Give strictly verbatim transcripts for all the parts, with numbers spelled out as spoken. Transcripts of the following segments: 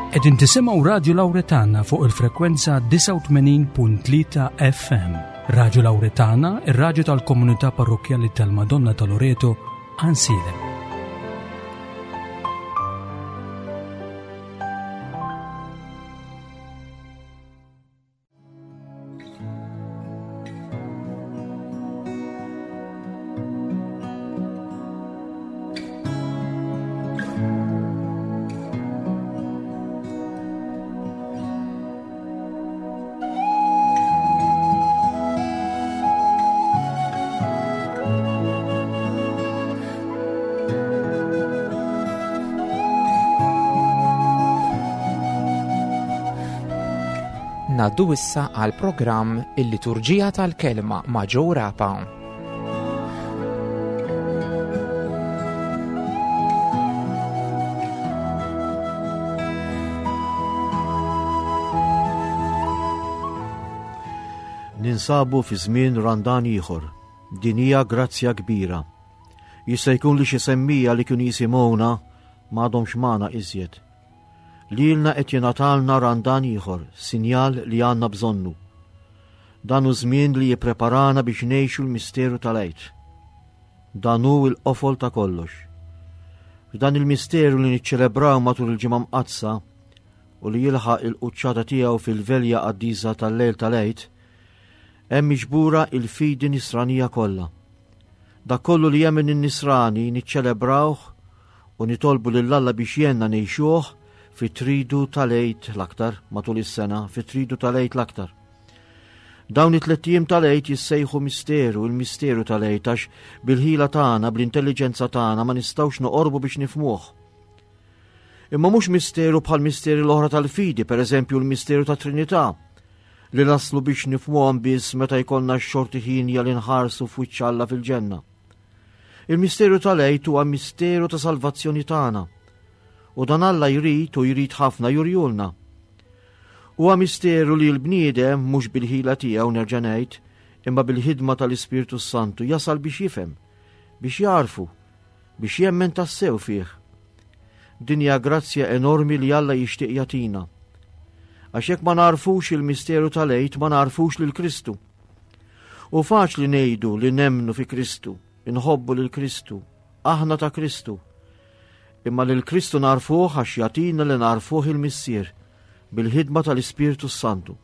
Qegħdin tisimgħu Radju Lawretana fuq il-frekwenza disgħa u tmenin punt tlieta F M. Radju Lawretana, ir-radju tal-komunità parrokkjali tal-Madonna ta' Loreto, Għajnsielem. Ngħaddu issa għal programm Il-Liturġija tal-Kelma ma' Joe Rapa. Ninsabu fi żmien Randan ieħor. Din hija grazzja kbira. Jista' jkun li xi semmija li kienu jisimgħuna m'għadhomx magħna iżjed. Lilna qed jingħatalna Randan ieħor, sinjal li għandna bżonnu. Dan hu żmien li jippreparana biex ngħixu l-misteru tal-Għid. Dan hu l-qofol ta' kollox. F'dan il-misteru li niċċelebraw matul il-ġimgħa mqaddsa u li jilħaq il-quċċata tiegħu fil-velja qaddisa tal-lejl tal-Għid, hemm miġbura il-fidi nisranija kollha. Dak kollu li jemmen in-nisrani niċċelebrawh u nitolbu lil Alla biex jgħinna ngħixuh fit-tridu tal-Għid l-aktar, matul is-sena, fit-tridu tal-Għid l-aktar. Dawn it-tliet ijiem tal-Għid jissejħu misteru, il-misteru tal-Għid, għax bil-ħila tagħna, bl-intelliġenza tagħna ma nistgħux noqorbu biex nifhmuh. Imma mhux misteru bħal misteri l-oħra tal-fidi, pereżempju l-misteru ta' Trinità, li naslu biex nifhmuhom biss meta jkollna x-xorti ħinja li nħarsu f'wiċċ Alla fil-ġenna. Il-misteru tal-Għid huwa misteru ta' salvazzjoni tagħna. U dan Alla jrid u jrid ħafna jurjulna. Huwa misteru li l-bniedem mhux bil-ħila tiegħu nerġa' ngħid, imma bil-ħidma tal-Ispirtu Santu jasal biex jifhem, biex jarfu, biex jemmen tassew fih. Din hija grazzja enormi li Alla jixtieq jagħtina. Għax jekk ma narfux il-misteru tal-Għid, ma narfux lil Kristu. U faċli ngħidu li nemmnu fi Kristu, inħobbu lil Kristu, aħna ta' Kristu. Imma lil Kristu narfuh għax jagħtina li narfuh il-Missier bil-ħidma tal-Ispirtu Santu.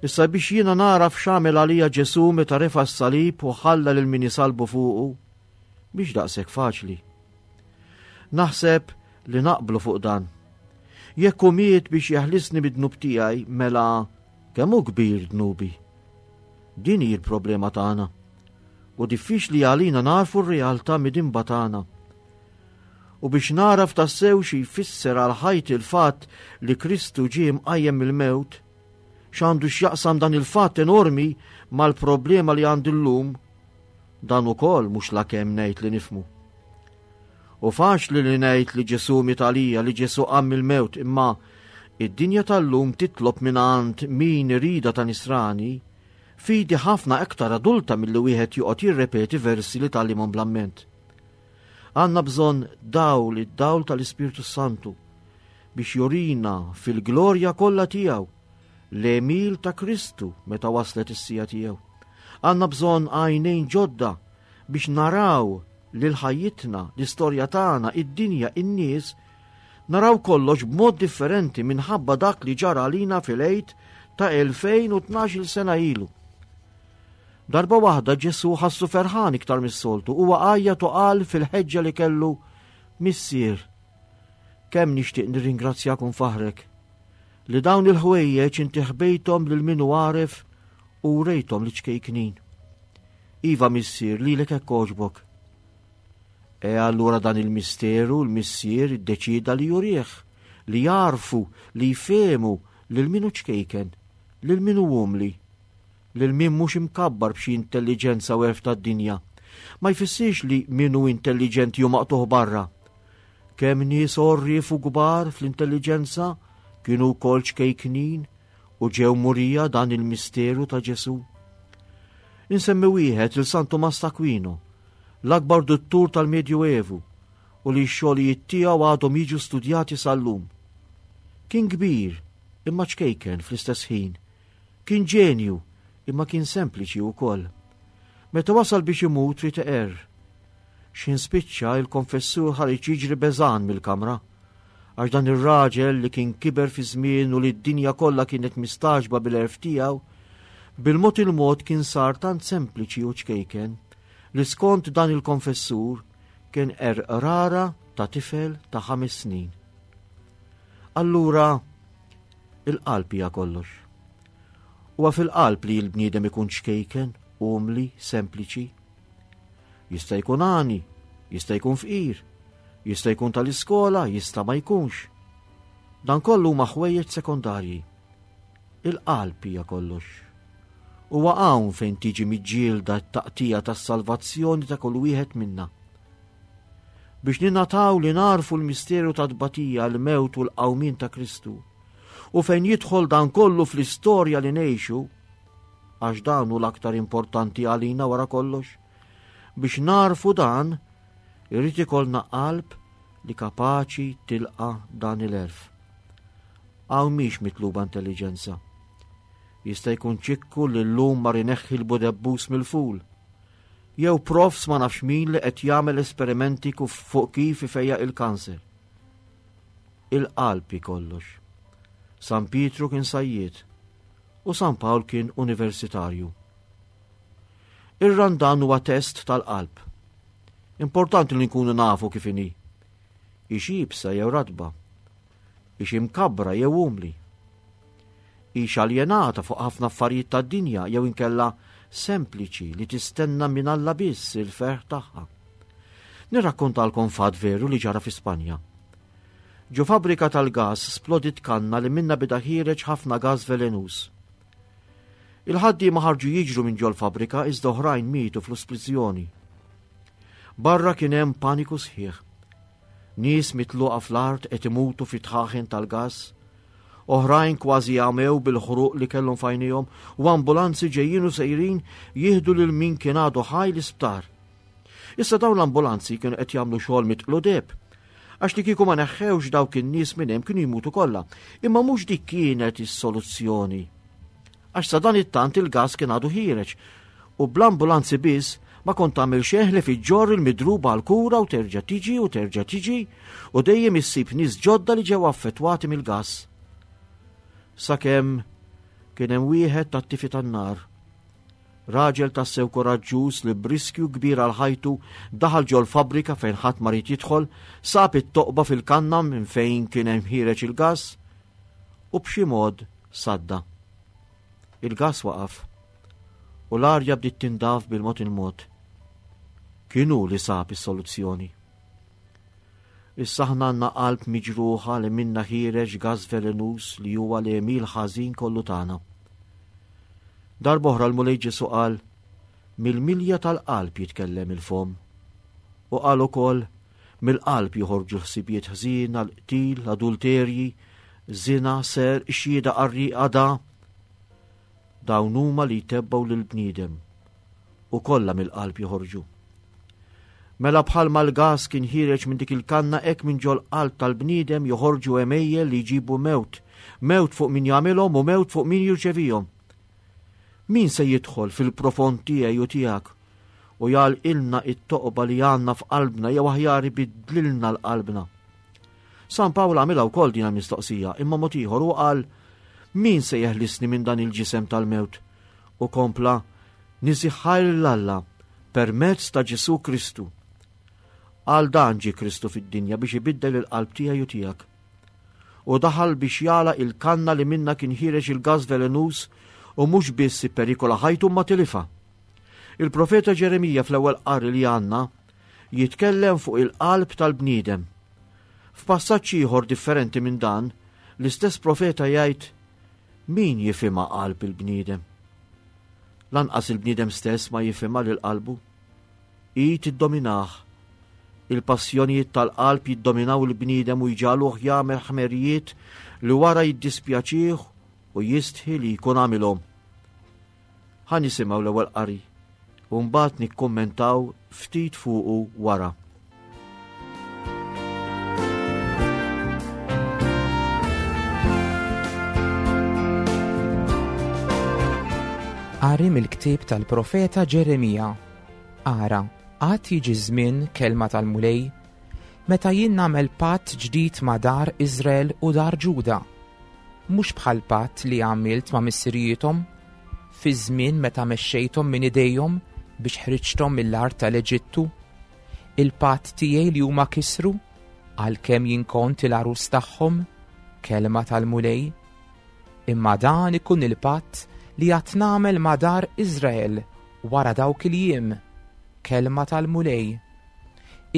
Issa biex jiena naraf x'għamel għalija Ġesu meta refa' s-salib u ħalla lil min isalbu fuqu, biex daqshekk faċli. Naħseb li naqblu fuq dan. Jekk hu miet biex jeħlisni mid-dnub tiegħi, mela kemm hu kbir dnubi. Din hi l-problema tagħna. U diffiċli għalina narfu r-realtà midinba tagħna. U biex naraf tassew xi jfisser għal ħajti l-fatt li Kristu ġie mqajjem mill-mewt, x'għandu x'jaqsam dan il-fatt enormi mal-problema li għandi llum, dan ukoll mhux la kemm ngħid li nifhmu. U faċli li ngħid li Ġesu miet għalija, li Ġesu qam mill-mewt, imma id-dinja tal-lum titlob mingħand min irida ta' nisrani fidi ħafna aktar adulta milli wieħed joqgħod jirrepeti versi li tgħallimhom bl-amment. Għandna bżonn dawl, id-dawl tal-Ispirtu Santu biex jurina fil-glorja kollha tiegħu l-għemil ta' Kristu meta waslet is-sija tiegħu. Għandna bżonn għajnejn ġodda biex naraw lil ħajjitna, l-istorja tagħna, id-dinja, in-nies, naraw kollox b'mod differenti minħabba dak li ġara għalina fil-Għid ta' elfejn u tnax-il sena ilu. Darba waħda Ġesu ħassu ferħan iktar mis-soltu, huwa għajjat u qal fil-ħeġġa li kellu, Missier, kemm nixtieq nirringrazzjak u nfaħrek li dawn il-ħwejjeġ inti ħbejthom lil min hu għaref u wrejthom li ċkejknin. Iva Missier, lilek hekk għoġbok. E allura dan il-misteru l-Missier iddeċida li jurih, li jarfu, li jfehmu lil min hu ċkejken, lil min hu umli, lil min mhux imkabbar b'xi intelliġenza u għerf tad-dinja. Ma jfissirx li min hu intelliġenti u maqtuħ barra. Kemm nies għorrief u kbar fl-intelliġenza kienu wkoll ċkejknin u ġew murija dan il-misteru ta' Ġesu. Insemmi wieħed il San Tumas t'Aquino, l-akbar duttur tal-Medjuevu, u li x-xogħlijiet tiegħu għadhom jiġu studjati sal-lum. Kien kbir, imma ċkejken fl-istess ħin. Kien ġenju, imma kien sempliċi wkoll. Meta wasal biex imut ried iqerr. X'ħin spiċċa il-konfessur ħareġ jiġri beżan mill-kamra. Għax dan ir-raġel li kien kiber fi żmien u li d-dinja kollha kienet mistagħġba bil-għerf tiegħu, bil-mod il-mod kien sar tant sempliċi u ċkejken li skont dan il-konfessur kien qerr qrara ta' tifel ta' ħames snin. Allura, il-qalb hija kollox. Huwa fil-qalb li l-bniedem ikun ċkejken, umli, sempliċi. Jista' jkun għani, jista' jkun fqir, jista' jkun tal-iskola, jista' ma jkunx. Dan kollu huma ħwejjeġ sekondarji. Il-qalb hija kollox. Huwa hawn fejn tiġi miġġielda t-taqtija tas-salvazzjoni ta' kull wieħed minna. Biex ninataw li narfu l-misteru ta' tbatija, l-mewt u l-qawmien ta' Kristu, u fejn jidħol dan kollu fl-istorja li ngħixu, għax dan hu l-aktar importanti għalina wara kollox, biex narfu dan, irrid ikollna qalb li kapaċi tilqa' dan il-għerf. Hawn mhix mitluba intelliġenza. Jista' jkun ċikku li llum mar ineħħi l-budebbus mill-ful. Jew profs ma nafx min li qed jagħmel esperimenti fuq kif ifejjaq il-kanser. Il-qalb hi kollox. San Pietru kien sajjied u San Pawl kien universitarju. Ir-Randan huwa test tal-qalb. Importanti li nkunu nafu kif inhi. Hix iebsa jew ratba, hix imkabbra jew umli, hix aljenata fuq ħafna affarijiet tad-dinja jew inkella sempliċi li tistenna minn Alla biss il-ferħ tagħha. Nirrakkontalkom fatt veru li ġara fi Spanja. Ġo fabbrika tal-gas splodit kanna li minna beda ħiereġ ħafna gas velenuż. Il-ħaddiema ħarġu jiġru minn ġol-fabbrika iżda oħrajn mietu fl-isplużjoni. Barra kien hemm paniku sħiħ. Nies mitluqa fl-art qed imutu fi tħaħen tal-gas, oħrajn kważi għamew bil-ħruq li kellhom f'għajnejhom u ambulanzi ġejjin u sejrin jieħdu lil min kien għadu ħaj l-isptar. Issa dawn l-ambulanzi kienu qed jagħmlu xogħol mitqlu deb, għax li kieku ma neħħewx dawk in-nies minn hemm kienu jmutu kollha, imma mhux dik kienet is-soluzzjoni. Għax sa dan it-tant il-gas kien għadu ħiereġ u bl-ambulanzi biss ma kont tagħmel xejn li fiġġor il-midruba għal kura u terġa' tiġi u terġa' tiġi u dejjem issib nies ġodda li ġew affettwati mill-gas. Sakemm kien hemm wieħed tat-tifi tan-nar, raġel tassew koraġġuż li b'riskju kbir għal ħajtu daħal ġol-fabbrika fejn ħadd ma ried jidħol, sab it-toqba fil-kanna minn fejn kien hemm ħiereġ il-gas u b'xi mod sadda. Il-gas waqaf u l-arja bdiet tindaf bil-mod il-mod. Kien hu li sab is-soluzzjoni. Issa aħna għandna qalb miġruħa li minna ħiereġ gas velenuż li huwa l-għemil ħażin kollu tagħna. Darb'oħra l-Mulej Ġesu qal, mill-milja tal-qalb jitkellem il-fomm. U qal ukoll, mill-qalb joħorġu ħsibijiet ħżiena, l-qtil, adulterji, zina, ser, xhieda qarrieqa da. Dawn huma li jtebbgħu lill-bniedem u kollha mill-qalb joħorġu. Mela bħalma l-gas kien ħiereġ minn dik il-kanna hekk minn ġol qalb tal-bniedem joħorġu għemejjel li jġibu mewt, mewt fuq min jagħmilhom u mewt fuq min jirċevihom. Min se jidħol fil-profond tiegħi u tiegħek u jagħlqilna it-toqba li għandna f'qalbna jew aħjar ibiddlilna l-qalbna? San Pawl għamilha wkoll din il-mistoqsija, imma mod ieħor u qal, min se jeħlisni minn dan il-ġisem tal-mewt? U kompla, niżiħħajr lil Alla permezz ta' Ġesu Kristu. Għal dan ġie Kristu fid-dinja biex ibiddel il-qalb tiegħi u tiegħek. U daħal biex jagħlaq il-kanna li minna kien ħiereġ il-gas velenuż u mhux biss ipperikola ħajtu ma tilifa. Il-profeta Ġeremija fl-ewwel qari li għandna jitkellem fuq il-qalb tal-bniedem. F'passaġġ ieħor differenti minn dan, l-istess profeta jgħid, min jifhimha qalb il-bniedem? Lanqas il-bniedem stess ma jifhimha lil qalbu. Hi tiddominah. Il-passjonijiet tal-qalb jiddominaw il-bniedem u jġagħluh jagħmel ħmerijiet li wara jiddispjaċih u jistħi li jkun għamilhom. Ħa nisimgħu l-ewwel qari u mbagħad nikkummentaw ftit fuqu wara. Qari mill-ktieb tal-profeta Ġeremija. Ara, għad jiġi żmien, kelma tal-Mulej, meta jien nagħmel patt ġdid ma' dar Iżrael u dar Ġuda. Mhux bħal patt li għamilt ma' missirijiethom, fi żmien meta mexxejthom minn idejhom biex ħriġthom mill-art tal-Eġittu. Il-patt tiegħi li huma kisru, għalkemm jien kont il-għarus tagħhom, kelma tal-Mulej. Imma dan ikun il-patt li għad nagħmel ma' dar Iżrael wara dawk il-jiem, kelma tal-Mulej.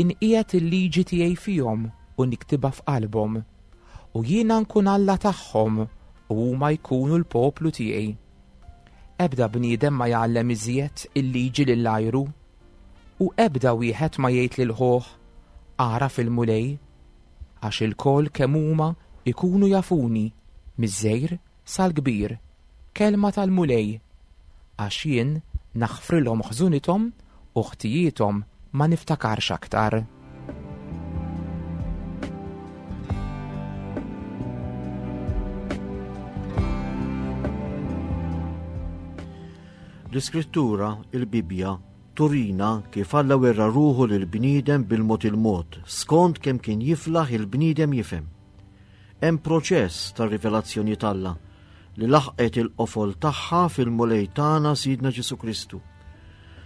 Inqiegħed il-liġi tiegħi fihom u niktibha f'qalbhom, u jiena nkun Alla tagħhom u huma jkunu l-poplu tiegħi. Ebda bniedem ma jgħallem iżjed il-liġi lil għajru, u ebda wieħed ma jgħid lil ħuh, agħraf il-Mulej, għax ilkoll kemm huma ikunu jafuni, miż-żgħir sal-kbir, kelma tal-Mulej, għax jien naħfrilhom ħżunithom u ħtijiethom ma niftakarx aktar. L-Iskrittura, il-Bibbja, turina kif Alla werra ruħu lill-bniedem bil-mod il-mod, skont kemm kien jiflaħ il-bniedem jifhem. Hemm proċess ta' rivelazzjoni t'Alla li laħqet il-qofol tagħha fil-Mulej tagħna Sidna Ġesù Kristu.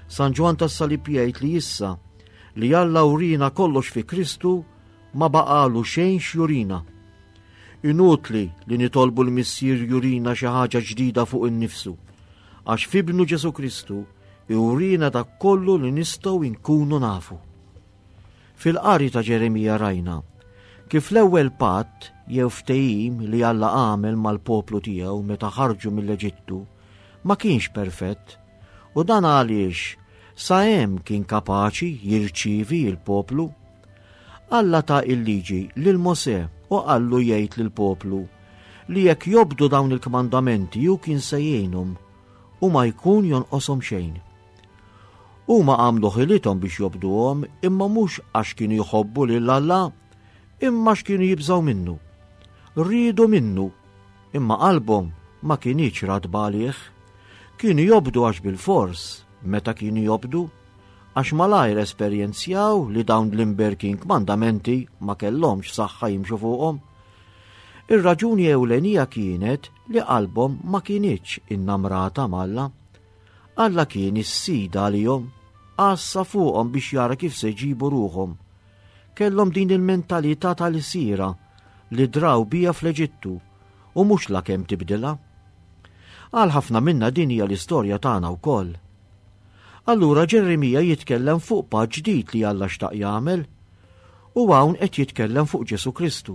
San Ġwann tas-Salib jgħid li issa li Alla urina kollox fi Kristu ma baqalu xejn x'jurina. Inutli li nitolbu l-Missier jurina xi ħaġa ġdida fuq innifsu, għax f'ibnu Ġesù Kristu jurina dak kollu li nistgħu nkunu nafu. Fil-qari ta' Ġeremija rajna kif l-ewwel patt jew ftehim li Alla għamel mal-poplu tiegħu meta ħarġu mill-Eġittu ma kienx perfett, u dan għaliex sa hemm kien kapaċi jirċievi l-poplu. Alla ta il-liġi lil Mosè u qallu jgħid lill-poplu li jekk jobdu dawn il-kmandamenti hu kien se jgħinhom u ma jkun jonqoshom xejn. Huma għamlu ħilithom biex jobduhom, imma mhux għax kienu jħobbu lil Alla, imma għax kienu jibżgħu minnu. Riedu minnu, imma qalbhom ma kinitx ratba għalih. Kienu jobdu għax bil-fors, meta kienu jobdu, għax malajr esperjenzjaw li dawn l-imberkin kmandamenti ma kellhomx saħħa jimxu fuqhom. Ir-raġuni ewlenija kienet li qalbhom ma kinitx innamrata m'Alla. Alla kien is-sid għalihom, għassa fuqhom biex jara kif se jġibu ruħhom. Kellhom din il-mentalità tal-isira li draw bija fl-Eġittu u mhux la kemm tibdilha. Għal ħafna minna din hija l-istorja tagħna wkoll. Allura Ġeremija jitkellem fuq patt ġdid li Alla xtaq jagħmel, u hawn qed jitkellem fuq Ġesù Kristu.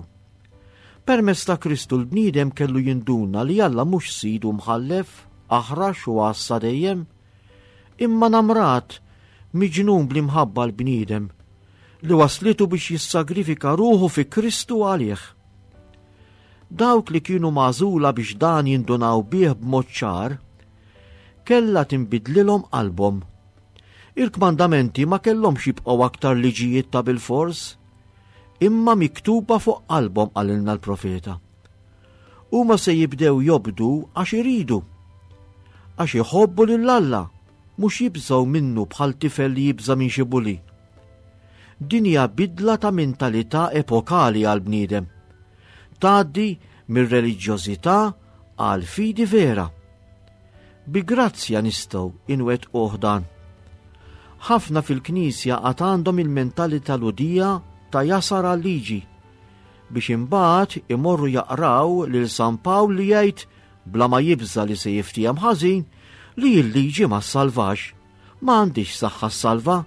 Permezz ta' Kristu l-bniedem kellu jinduna li Alla mhux sid u mħallef, aħrax u għassa dejjem, imma namrat, miġnun bl-imħabba l-bniedem, li waslitu biex jissagrifika ruħu fi Kristu għalih. Dawk li kienu magħżula biex dan jindunaw bih b'mod ċar, kellha tinbidlilhom qalbhom. Il-kmandamenti ma kellhomx jibqgħu aktar liġijiet ta' bilfors, imma miktuba fuq qalbhom, qalilna l-profeta. Huma se jibdew jobdu għax iridu, għax iħobbu lil Alla, mhux jibżgħu minnu bħal tifel li jibża' minn xi buli. Din hija bidla ta' mentalità epokali għal bniedem. Tgħaddi mir-reliġjożità għal fidi vera. Bi grazzja nistgħu inwettquh dan. Ħafna fil-Knisja għad għandhom il-mentalità Lhudija ta' jasar għal-liġi, biex imbagħad imorru jaqraw lil San Pawl li jgħid bla ma jibża' li se jiftiehem ħażin li l-liġi ma ssalvax, ma għandix saħħa ssalva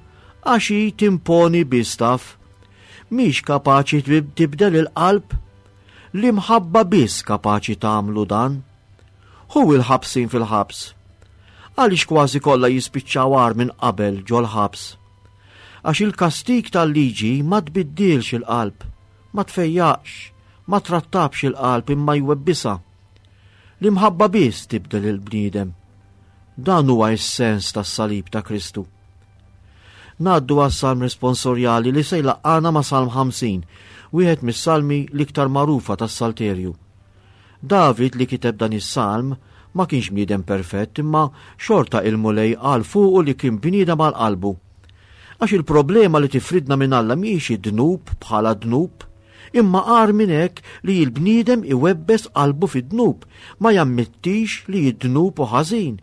għax hi timponi biss taf. Mhix kapaċi tib-, tibdel il-qalb, l-imħabba biss kapaċi tagħmlu dan. Hu il-ħabsin fil-ħabs, għaliex kważi kollha jispiċċaw agħar minn qabel ġol-ħabs. Għax il-kastig tal-liġi ma tbiddilx il-qalb, ma tfejjaqx, ma trattabx il-qalb imma jwebbisha. L-imħabba biss tibdel il-bniedem. Dan huwa s-sens tas-salib ta' Kristu. Ngħaddu għas-salm responsorjali li se jlaqqana ma' Salm ħamsin, wieħed mis-salmi l-iktar magħrufa tas-Salterju. David li kiteb dan is-salm Ma kienx bniedem perfett, imma xorta il-Mulej qal fuqu li kien bniedem għal qalbu. Għax il-problema li tifridna minn Alla mhijiex id-dnub bħala dnub, imma agħar minn hekk li l-bniedem iwebbes qalbu fid-dnub, ma jammettix li d-dnub hu ħażin.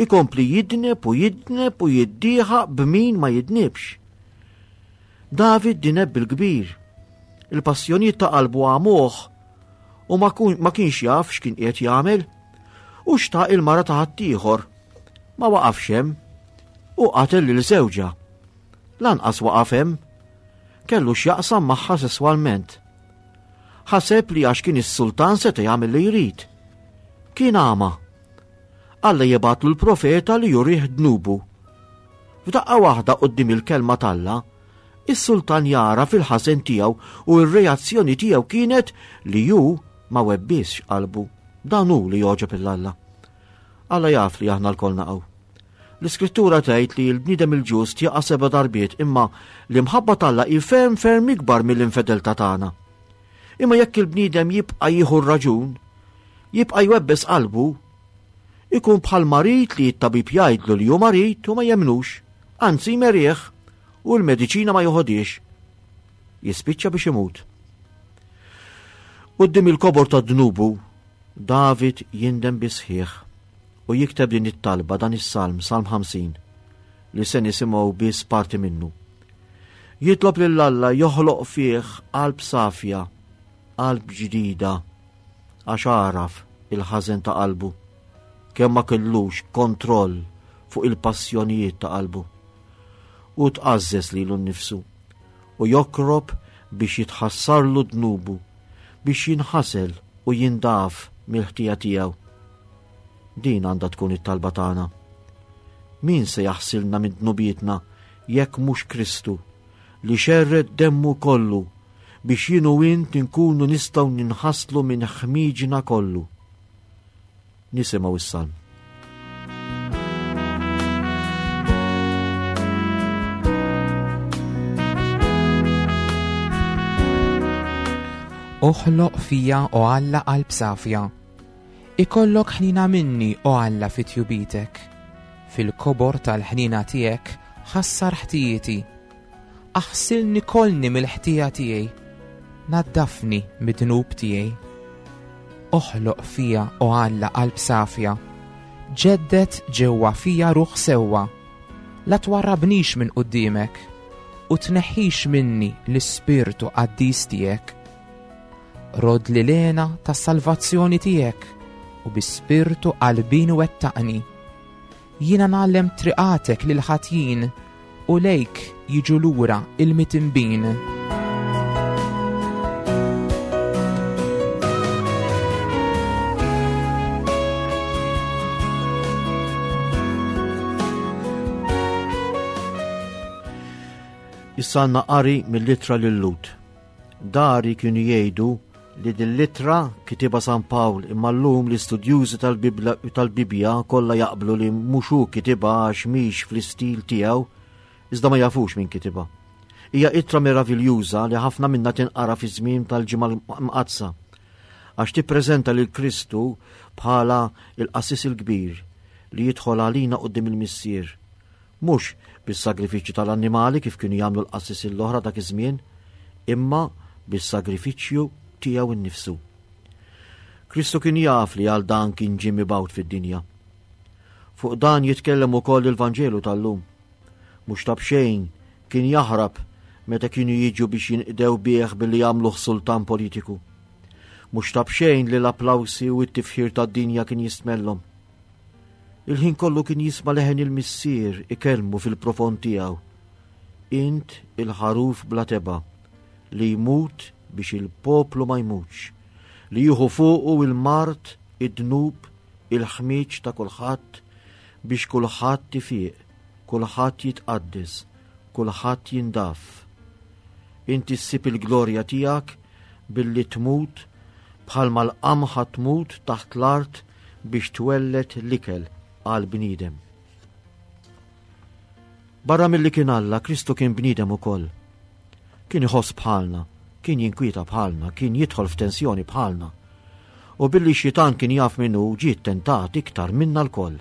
Ikompli jidneb u jidneb u jiddieħaq b'min ma jidnibx. David dineb bil-kbir. Il-passjonijiet ta' qalbu għamuh u ma kun-, ma kienx jaf x'kien qiegħed jagħmel u xtaq il-mara ta' ħaddieħor. Ma waqafx hemm u qatel lil żewġha. Lanqas waqaf hemm, kellu x'jaqsam magħha sesswalment. Ħaseb li għax kien is-sultan seta' jagħmel li jrid. Kien għama. Alla jibgħatlu l-profeta li jurih dnubu. F'daqqa waħda quddiem il-kelma t'Alla, is-sultan jara fil-ħażen tiegħu u r-reazzjoni tiegħu kienet li hu ma webbisx qalbu. Dan hu li jogħġob lil Alla. Alla jaf li aħna lkoll naqgħu. L-Iskrittura tgħid li l-bniedem il-ġust jaqa' seba' darbiet, imma l-imħabba t'Alla hi ferm ferm ikbar mill-infedeltà tagħna. Imma jekk il-bniedem jibqa' jieħu r-raġun, jibqa' jwebbes qalbu, ikun bħal marid li t-tabib jgħidlu li hu marid u ma jemnux, anzi jmerih u l-mediċina ma joħodiex. Jispiċċa biex imut. Quddiem il-kobor ta' dnubu, David jindem bisħieħ u jikteb din it-talba, dan is-salm, Salm ħamsin, li se nisimgħu biss parti minnu. Jitlob lil Alla joħloq fih qalb safja, qalb ġdida, għax għaraf il-ħażen ta' qalbu, kemm ma kellux kontroll fuq il-passjonijiet ta' qalbu. U tqażżes lilu nnifsu u jokrob biex jitħassarlu dnubu, biex jinħasel u jindaf mill-ħtija tiegħu. Din għandha tkun it-talba tagħna. Min se jaħsilna minn dnubietna jekk mhux Kristu li xerred demmu kollu biex jien u int inkunu nistgħu ninħaslu minn ħmiġna kollu. Nisimgħu is-salm. Oħloq fija, o Alla, qalb safja. Ikollok ħnina minni, o Alla, fi tjubitek. Fil-kobor tal-ħnina tiegħek ħassar ħtijieti. Aħsilni kolni mill-ħtija tiegħi. Naddafni mid-dnub tiegħi. Oħloq fija, o Alla, qalb safja. Ġeddet ġewwa fija ruħ sewwa. La twarrabnix minn quddiemek u tneħħix minni l-ispirtu qaddis tiegħek. Rod li lena tas-salvazzjoni tiegħek u bi spirtu qalbin wettaqni. Jiena ngħallem triqatek lil ħatjin u lejk jiġu lura il-mitinbin. Issa għandna qari mill-ittra lil Lut. Dari kienu jgħidu li din l-ittra kitibha San Pawl, imma llum l-istudjużi tal-Bibla-, tal-Bibbja kollha jaqblu li mhux hu kitibha għax mhix fl-istil tiegħu, iżda ma jafux min kitibha. Hija ittra meraviljuża li ħafna minna tinqara fi żmien tal-Ġimgħa Mqaddsa, għax tippreżenta lil Kristu bħala il-qassis il-kbir li jidħol għalina quddiem il-Missier, mhux bis-sagrifiċċju tal-annimali kif kienu jagħmlu l-qassis l-oħra dak iż-żmien, imma bis-sagrifiċċju tiegħu nnifsu. Kristu kien jaf li għal dan kien ġie mibgħut fid-dinja. Fuq dan jitkellem ukoll il-Vanġelu tal-lum. Mhux ta' b'xejn kien jaħrab meta kienu jiġu biex jinqdew bih billi jagħmluh sultan politiku. Mhux ta' b'xejn li l-applawsi u t-tifħir tad-dinja kien jistmellhom. Il-ħin kollu kien jisma' leħen il-Missier ikellmu fil-profond tiegħu. Int il-ħaruf bla teba' li jmut biex il-poplu ma jmutx, li jieħu fuqu il-mard, id-dnub, il-ħmieġ ta' kulħadd biex kulħadd ifiq, kulħadd jitqaddes, kulħadd jindaf. Inti ssib il-glorja tiegħek billi tmut bħalma l-qamħa tmut taħt l-art biex twelled l-ikel għal bniedem. Barra milli kien Alla, Kristu kien bniedem ukoll. Kien iħoss bħalna, kien jinkwieta bħalna, kien jidħol f'tensjoni bħalna. U billi xitan kien jaf minnu ġie tentat iktar minna lkoll.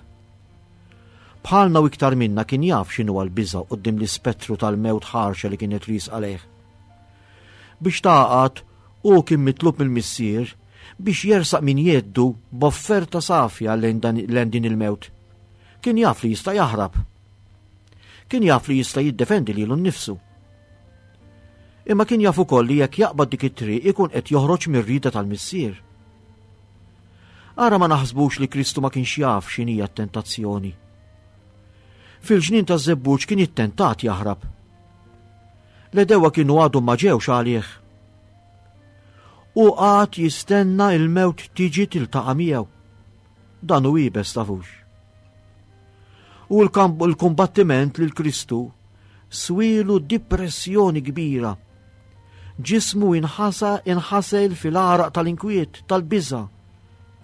Bħalna u iktar minna kien jaf x'inhu l-biża' quddiem l-ispettru tal-mewt ħarxa li kienet riesqa lejh. Biex taqgħad hu kien mitlub mill-missier biex jersaq min jeddu b'offerta safja lejn din il-mewt. Kien jaf li jista' jaħrab. Kien jaf li jista' jiddefendi lilu nnifsu. Imma kien jaf ukoll li jekk jaqbad dik it-triq ikun qed joħroġ mir-rieda tal-missier. Ara ma naħsbux li Kristu ma kienx jaf x'inhija t-tentazzjoni. Fil-ġnien taż-żebbuġ kien ittentat jaħrab. L-għedewwa kienu għadhom ma ġewx għalih. U qagħad jistenna il-mewt tiġi tiltaqa' miegħu. Dan hu iebes tafux. U l-kumbattiment lil Kristu swielu depressjoni kbira. Ġismu inħasa inħasel fil-għaraq tal-inkwiet, tal-biża',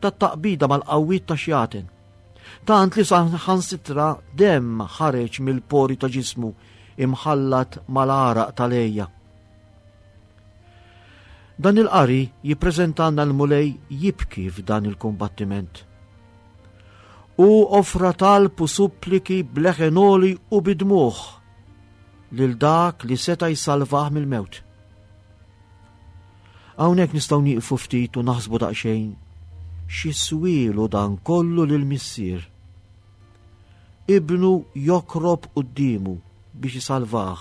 tat-taqbida mal-qawwiet ta' xjaten. Tant li saħansitra demm ħareġ mill-pori ta' ġismu imħallat mal-għaraq tal-ejja. Dan il-qari jippreżentanna l-Mulej jibki f'dan il-kumbattiment. U offra talb u suppliki b'leħen għoli u bid-dmugħ lil dak li seta' jsalvah mill-mewt. Hawnhekk nistgħu nieqfu ftit u naħsbu daqsxejn x'iswielu dan kollu lil missier. Ibnu jokrob quddiemu biex isalvah,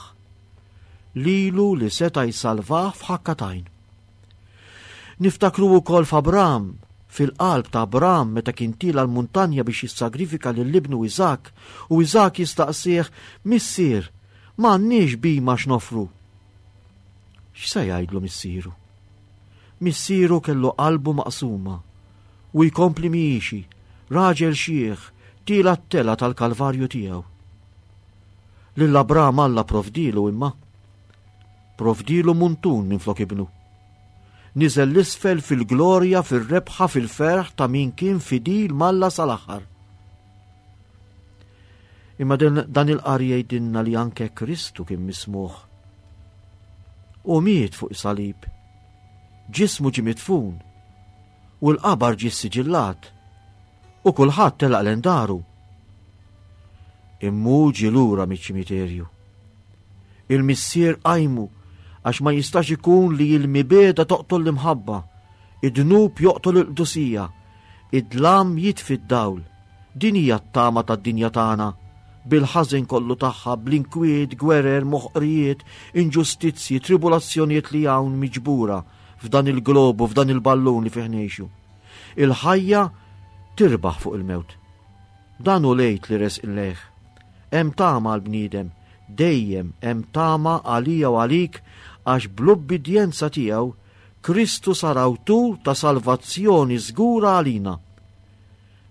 lilu li seta' jsalvah f'ħakka t'għajn. Niftakru wkoll f'Abram, fil-qalb ta' Abram meta kien tiela' l-muntanja biex jissagrifika lil ibnu Iżak, u Iżak jistaqsih, Missier, m'għandniex bhima x'nofru. X'se jgħidlu missieru? Missieru kellu qalbu maqsuma u jkompli miexi, raġel xiħ, tiela' t-telgħa tal-Kalvarju tiegħu. Lil Abram Alla provdilu imma. Provdilu muntun minn flok ibnu. Niżel l-isfel fil-glorja, fil-rebħa, fil-ferħ ta' min kien fidil m'Alla sal-aħħar. Imma dan il-qari jgħidilna li anke Kristu kien mismugħ. U miet fuq salib. Ġismu ġie midfun u l-qabar ġie siġillat u kulħadd telaq lejn daru. Imma hu ġie lura miċ-ċimiterju. Il-missier qajmu għax ma jistax ikun li l-mibegħda toqtol l-imħabba, id-dnub joqtol il-qdusija, id-dlam jitfi d-dawl. Din hija t-tama tad-dinja tagħna, bil-ħażin kollu tagħha, bl-inkwiet, gwerer, moħqrijiet, inġustizzji, tribulazzjonijiet li hawn miġbura f'dan il-globu, f'dan il-ballun li fih ngħixu. Il-ħajja tirbaħ fuq il-mewt. Dan hu l-Għid li resqin lejh. Hemm tama għall-bniedem, dejjem hemm tama għalija u għalik, għax bl-ubbidjenza tiegħu Kristu sar awtur ta' salvazzjoni żgura għalina.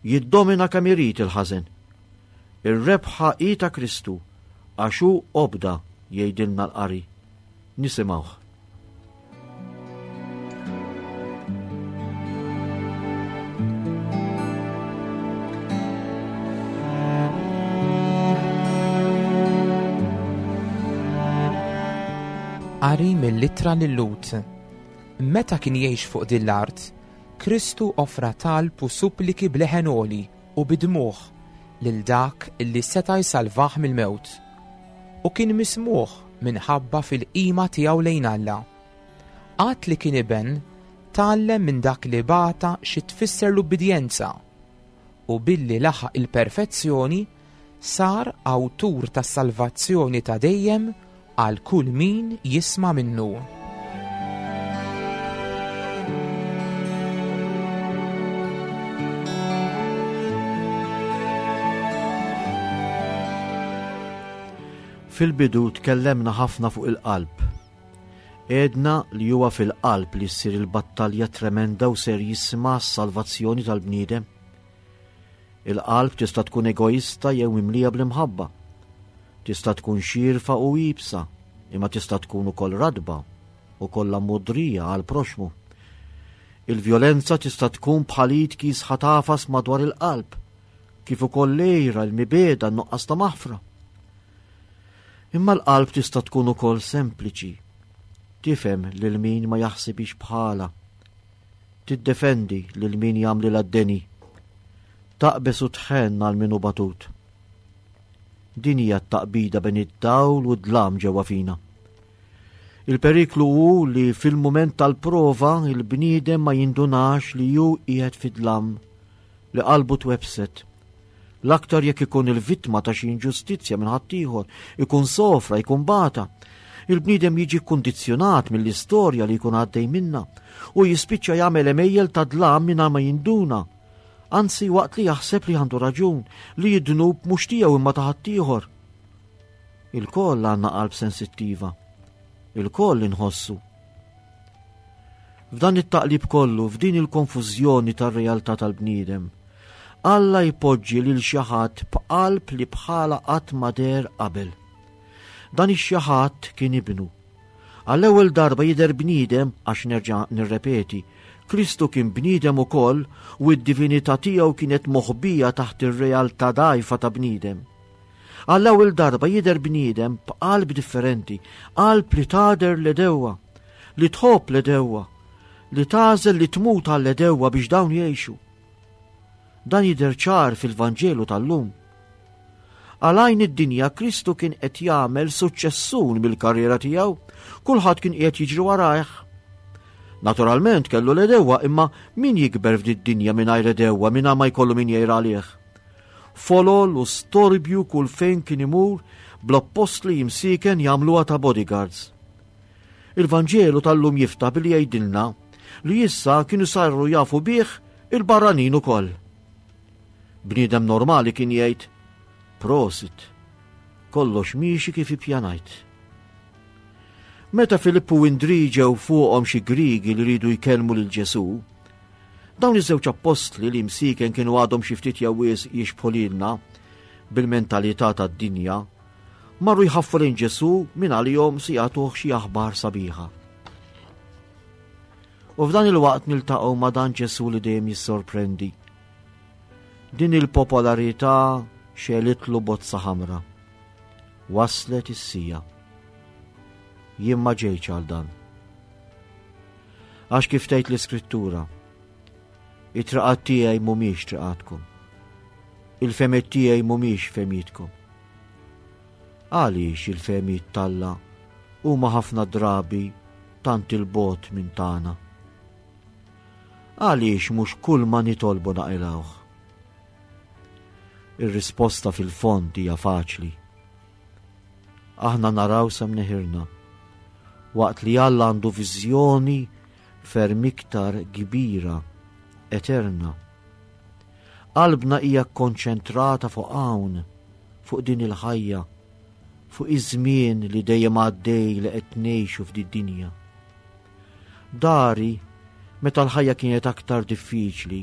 Jiddomina kemm irid il-ħażen. Ir-rebħa hi ta' Kristu għax hu obda, jgħidilna l-qari. Nisimgħuh. Qari mill-ittra lil-Lhud. Meta kien jgħix fuq din l-art, Kristu offra talb u suppliki b'leħen għoli u bid-dmugħ lil dak li seta' jsalvah mill-mewt, u kien mismugħ minħabba fil-qima tiegħu lejn Alla. Għad li kien iben, tgħallem minn dak li bata xi tfisser l-ubbidjenza, u billi laħaq il-perfezzjoni sar awtur tas-salvazzjoni ta' dejjem għal kull min jisma' minnu. Fil-bidu tkellemna ħafna fuq il-qalb. Għedna li huwa fil-qalb li ssir il-battalja tremenda u serjissima għas-salvazzjoni tal-bniedem. Il-qalb tista' tkun egoista jew mimlija bl-imħabba. Tista' tkun xirfa u iebsa, imma tista' tkun ukoll radba u kollha mudrija għal proxmu. Il-vjolenza tista' tkun bħal id kiesħa tagħfas madwar il-qalb, kif ukoll l-għira, l-mibegħda, n-nuqqas ta' maħfra. Imma l-qalb tista' tkun ukoll sempliċi, tifhem lil min ma jaħsibix bħala. Tiddefendi lil min jagħmlilha d-deni. Taqbeż u tħenn għal min hu batut. Din hija t-taqbida bejn id-dawl u d-dlam ġewwa fina. Il-periklu hu li fil-mument tal-prova il-bniedem ma jindunax li hu qiegħed fid-dlam, li qalbu twebset. L-aktar jekk ikun il-vittma ta' xi inġustizzja minn ħaddieħor, ikun sofra, ikun bata. Il-bniedem jiġi kkundizzjonat mill-istorja li jkun għaddej minna u jispiċċa jagħmel għemejjel ta' dlam mingħajr ma jinduna. Anzi waqt li jaħseb li għandu raġun, li d-dnub mhux tiegħu imma ta' ħaddieħor. Ilkoll għandna qalb sensittiva. Ilkoll inħossu. F'dan it-taqlib kollu, f'din il-konfużjoni tar-realtà tal-bniedem, Alla jpoġġi lil xi ħadd b'qalb li bħala qatt ma deher qabel. Dan ix-xi ħadd kien ibnu. Għall-ewwel darba jidher bniedem, għax nerġa' nirrepeti, Kristu kien bniedem ukoll u d-divinità tiegħu kienet moħbija taħt ir-realtà dgħajfa ta' bniedem. Għall-ewwel darba jidher bniedem b'qalb differenti, qalb li tagħder l-għedewwa, li tħobb l-għedewwa, li tagħżel li tmut għall-għedewwa biex dawn jgħixu. Dan jidher ċar fil-Vanġelu tal-lum. Għal għajn id-dinja Kristu kien qed jagħmel suċċessun mill-karriera tiegħu, kulħadd kien qiegħed jiġri warajh. Naturalment kellu l-għedewwa, imma min jikber f'din id-dinja mingħajr għedewwa, mingħajr ma jkollu min jgħir għalih? Folol u storbju kull fejn kien imur, bl-appostli jimsiken jagħmluha ta' bodyguards. Il-Vanġelu tal-lum jiftaħ billi jgħidilna li issa kienu saru jafu bih il-barranin ukoll. Bniedem normali kien jgħid, prosit, kollox miexi kif ippjanajt. Meta Filippu u Indri ġew fuqhom xi Grigi li riedu jkellmu lil Ġesù, dawn iż-żewġ appostli li msiken kienu għadhom xi ftit jew wisq jixbħu lilna bil-mentalità tad-dinja, marru jħaffu lejn Ġesù minn għalihom se jagħtuh xi aħbar sabiħa. U f'dan il-waqt niltaqgħu ma' dan Ġesù li dejjem jissorprendi. Din il-popolarità xelitlu bozza ħamra. Waslet is-sija. Jien ma ġejtx għal dan. Għax kif tgħid l-Iskrittura, it-triqat tiegħi mhumiex triqatkom. Il-fehmiet tiegħi mhumiex fehmietkom. Għaliex il-fehmiet t'Alla huma ħafna drabi tant il-bogħod minn tagħna? Għaliex mhux kull ma nitolbu naqilgħuh? Ir-risposta fil-fond hija faċli. Aħna naraw sa mneħirna, waqt li Alla għandu viżjoni ferm iktar kbira, eterna. Qalbna hija kkonċentrata fuq hawn, fuq din il-ħajja, fuq iż-żmien li dejjem għaddej li qed ngħixu f'din dinja. Dari, meta l-ħajja kienet aktar diffiċli,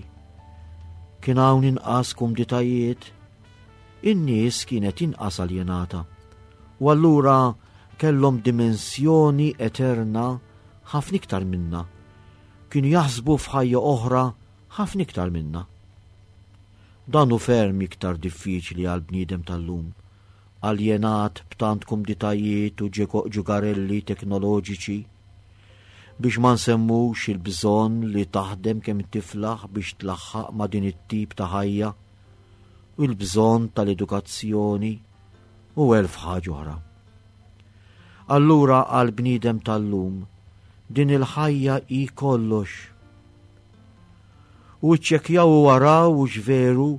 kien hawn inqas kumditajiet, in-nies kienet inqas aljenata, u allura kellhom dimensjoni eterna ħafna iktar minna. Kienu jaħsbu f'ħajja oħra ħafna iktar minna. Dan hu ferm iktar diffiċli għal bniedem tal-lum, aljenat b'tant kumditajiet u ġugarelli teknoloġiċi, biex ma nsemmux il-bżonn li taħdem kemm tiflaħ biex tlaħħaq ma' din it-tip ta' ħajja, u l-bżonn tal-edukazzjoni u elf ħaġa oħra. Allura għal bniedem tal-lum din il-ħajja hi kollox. U ċċekkjaw u waraw u x'veru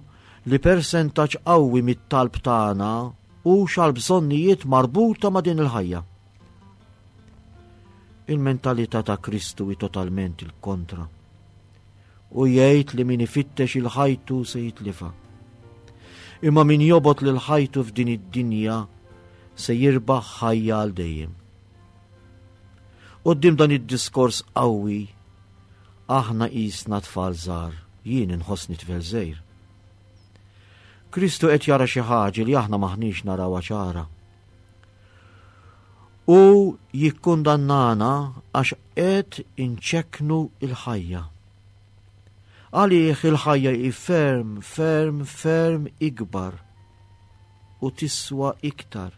li persentaġġ qawwi mit-talb tagħna hu x'għall-bżonnijiet marbuta ma' din il-ħajja. Il-mentalità ta' Kristu hi totalment il-kontra. U jgħid li min ifittex il-ħajtu se jitlifa. Imma min jobgħod lil ħajtu f'din id-dinja se jirbaħ ħajja għal dejjem. Quddiem dan id-diskors qawwi, aħna qisna tfal żgħar, jien inħossni tifel żgħir. Kristu qed jara xi ħaġa li aħna maħniex narawha ċara. U jikkundannana għax qed inċekknu il-ħajja. Għalih il-ħajja hi ferm, ferm, ferm ikbar u tiswa iktar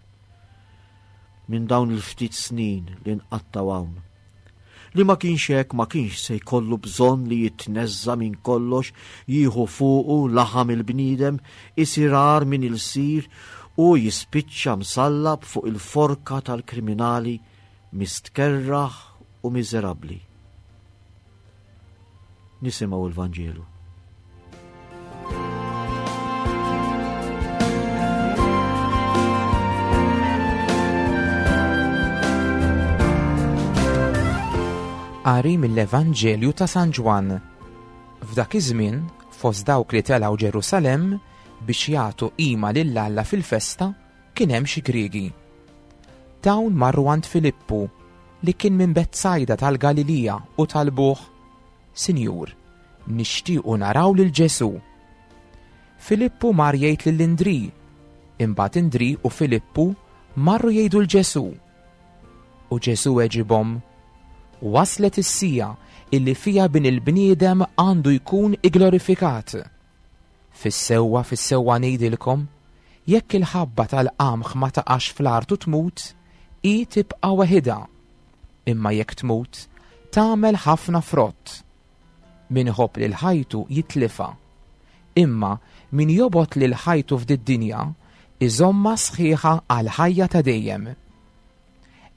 minn dawn il-ftit snin li nqattaw hawn. Li ma kienx hekk ma kienx se jkollu bżonn li jitneżża minn kollox, jieħu fuqu laħam il-bniedem, isir agħar minn ilsir u jispiċċa msallab fuq il-forka tal-kriminali mistkerraħ u miżerabbli. Nisimgħu l-Vanġelu. Qari mill-Evanġelju ta' San Ġwann. F'dak iż-żmien, fost dawk li telgħu Ġerusalemm biex jagħtu qima lil Alla fil-festa, kien hemm xi Griegi. Dawn marru għand Filippu li kien minn Betsajda tal-Galilija u talbuh: Sinjur, nixtiequ naraw lil Ġesù. Filippu mar jgħid lil Indri, imbagħad Indri u Filippu marru jgħidu l Ġesù. U Ġesù weġibhom: Waslet is-sija illi fija bin il-bniedem għandu jkun igglorifikat. Fis-sewwa, fis-sewwa ngħidilkom, jekk il-ħabba tal-qamħ ma taqax fl-art u tmut, hi tibqa' waħidha. Imma jekk tmut, tagħmel ħafna frott. Min iħobb lil ħajtu jitlifha. Imma min jobgħod lil ħajtu f'did-dinja, iżomma sħiħa għal ħajja ta' dejjem.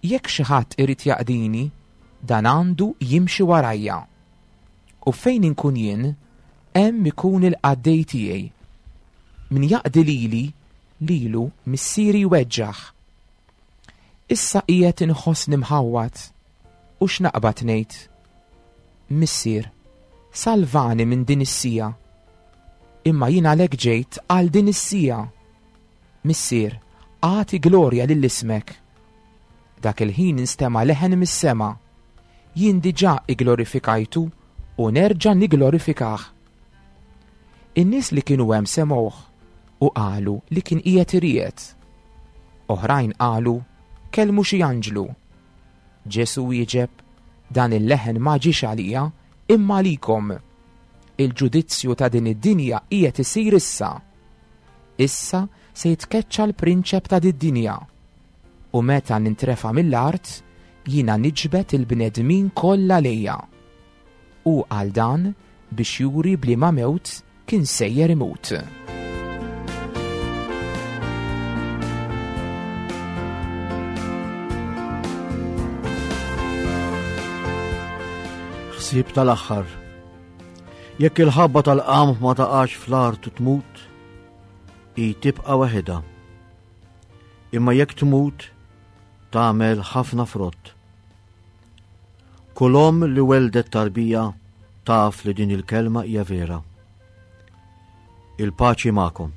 Jekk xi ħadd irid jaqdini, dan għandu jimxi warajja. U fejn inkun jien, hemm ikun il-qaddej tiegħi. Min jaqdi lili, lilu missieri jweġġaħ. Issa qiegħed inħossni mħawwad, u x'naqbad ngħid? Missier, salvani minn din is-sija. Imma jien għalhekk ġejt għal din is-sija. Missier, agħti glorja lil ismek. Dak il-ħin instema' leħen mis-sema. Jien diġà igglorifikajtu u nerġa' nigglorifikah. In-nies li kienu hemm semgħuh u qalu li kien qiegħed iriegħed. Oħrajn qalu kellmu xi anġlu. Ġesù wieġeb: Dan il-leħen ma ġiex għalija, imma għalikom. Il-ġudizzju ta' din id-dinja qiegħed isir issa. Issa se jitkeċċa l-prinċep ta' did-dinja. U meta nintrefa' mill-art, jiena niġbed il-bnedmin kollha lejja. U għal dan biex juri b'liema mewt kien sejjer imut. Ħsieb tal-aħħar. Jekk il-ħabba tal-qamħ ma taqax fl-art u tmut, hi tibqa' waħedha. Imma jekk tmut, tagħmel ħafna frott. Kull omm li weldet tarbija taf li din il-kelma hija vera. Il-paċi magħkom.